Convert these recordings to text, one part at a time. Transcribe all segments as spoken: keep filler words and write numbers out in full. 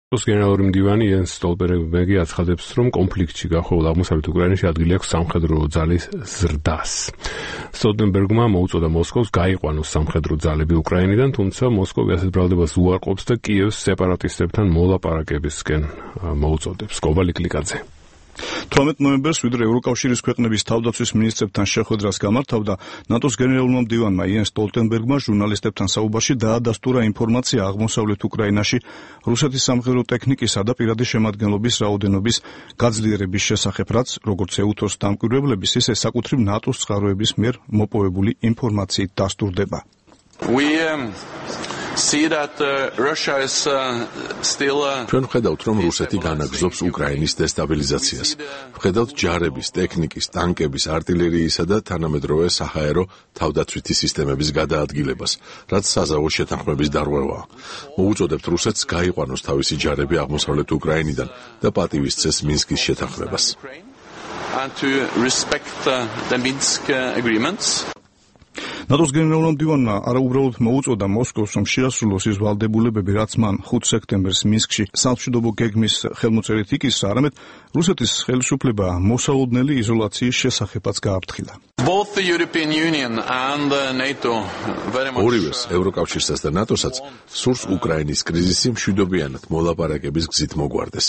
ნატოს გენერალური მდივანი იენს სტოლტენბერგი აცხადებს, რომ კონფლიქტში გახვეულ აღმოსავლეთ უკრაინაში ადგილი აქვს სამხედრო ძალის ზრდას. სტოლტენბერგმა მოუწოდა მოსკოვს გაიყვანოს სამხედრო ძალები უკრაინიდან, თუმცა მოსკოვი ასეთ ბრალდებას უარყოფს და კიევს სეპარატისტებთან მოლაპარაკებისკენ მოუწოდებს. კობალი კლიკაძე. თორმეტ ნოემბერს ვიდრე ევროკავშირის ქვეყნების თავდაცვის მინისტრებთან შეხვედრას გამართავდა, ნატოს გენერალურმა მდივანმა იენს სტოლტენბერგმა ჟურნალისტებთან საუბარში დაადასტურა ინფორმაცია აღმოსავლეთ უკრაინაში რუსეთის სამხედრო ტექნიკისა და პირადი შემადგენლობის რაოდენობის გაძლიერების შესახებ, რაც როგორც ეუთოს დამკვირვებლების, ისე საკუთრივ ნატოს წყაროების მიერ მოპოვებული ინფორმაციით დასტურდება. We um, see that uh, Russia is uh, still uh, ჩვენ ვხედავთ, რომ რუსეთი განაგრძობს უკრაინის დესტაბილიზაციას. ვხედავთ ჯარების, ტექნიკის, ტანკების, артиლერიისა და თანამედროვე საჰაერო თავდაცვითი სისტემების გადაადგილებას, რაც საზავო შეთანხმების დარღვევაა. მოუწოდებთ რუსეთს გაიყვანოს თავისი ჯარები აღმოსავლეთ უკრაინიდან და პატივისცეს მინსკის შეთანხმებას. and to respect uh, the Minsk uh, agreements. ნატოს გენერალურმა მდივანმა არაუბრალოდ მოუწოდა მოსკოვს, რომ შეასრულოს ის ვალდებულებები, რაც მან ხუთი სექტემბერს მინსკში სამშვიდობო გეგმის ხელმოწერით იკისრა, არამედ რუსეთის ხელისუფლება მოსალოდნელი იზოლაციის შესახებაც გააფრთხილა. Both the European Union and uh, NATO very much ორივეს, ევროკავშირსაც და ნატოსაც სურს უკრაინის კრიზისი მშვიდობიანად მოლაპარაკების გზით მოგვარდეს.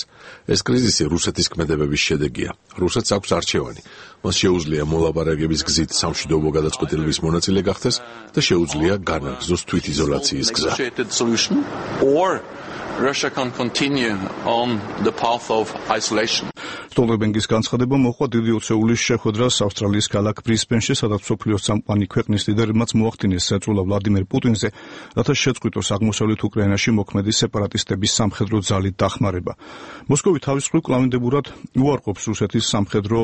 ეს კრიზისი რუსეთის ქმედებების შედეგია. რუსეთს აქვს არჩევანი. მას შეუძლია მოლაპარაკების გზით სამშვიდობო გადაწყვეტილების მონაწილე გახდეს და შეუძლია განაგრძოს თვითიზოლაციის გზა. or Russia can continue on the path of isolation. სტოლტენბერგის განცხადება მოჰყვა დიდი ოცეულის შეხვედრას ავსტრალიის ქალაქ ბრისბენში, სადაც მსოფლიოს წამყვანი ქვეყნის ლიდერებმაც მოახდინეს ზეწოლა ვლადიმერ პუტინზე, რათა შეწყვიტოს აღმოსავლეთ უკრაინაში მოქმედი სეპარატისტების სამხედრო ძალით დახმარება. მოსკოვი თავის მხრივ კლავინდებურად უარყოფს რუსეთის სამხედრო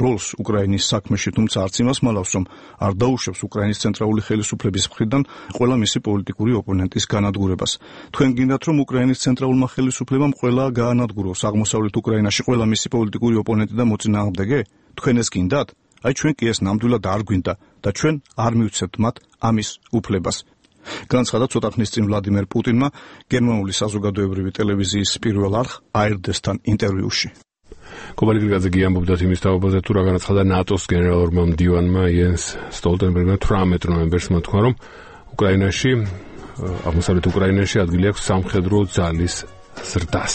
როლს უკრაინის საქმეში, თუმცა არც იმას მალავს, რომ არ დაუშვებს უკრაინის ცენტრალური ხელისუფლების მხრიდან ყველა მისი პოლიტიკური ოპონენტის განადგურებას. თქვენ გინდათ, რომ უკრაინის ცენტრალურმა ხელისუფლებამ ყველა გაანადგუროს აღმოსავლეთ უკრაინაში ყველა მისი პოლიტიკური ოპონენტი და მოწინააღმდეგე? თქვენ ეს გინდათ? აი ჩვენ კი ეს ნამდვილად არ გვინდა და ჩვენ არ მივცემთ მათ ამის უფლებას. განცხადა ცოტა ხნის წინ ვლადიმერ პუტინმა გერმანული საზოგადოებრივი ტელევიზიის პირველ არხ A R D-სთან ინტერვიუში. კობალი კლიკაძე გიამბობდა იმის თაობაზე, თუ რა განაცხადა ნატოს გენერალურმა მდივანმა იენს სტოლტენბერგმა თვრამეტ ნოემბერს მოთქვა, რომ უკრაინაში აღმოსავლეთ უკრაინაში ადგილი აქვს სამხედრო ძალის ზრდას.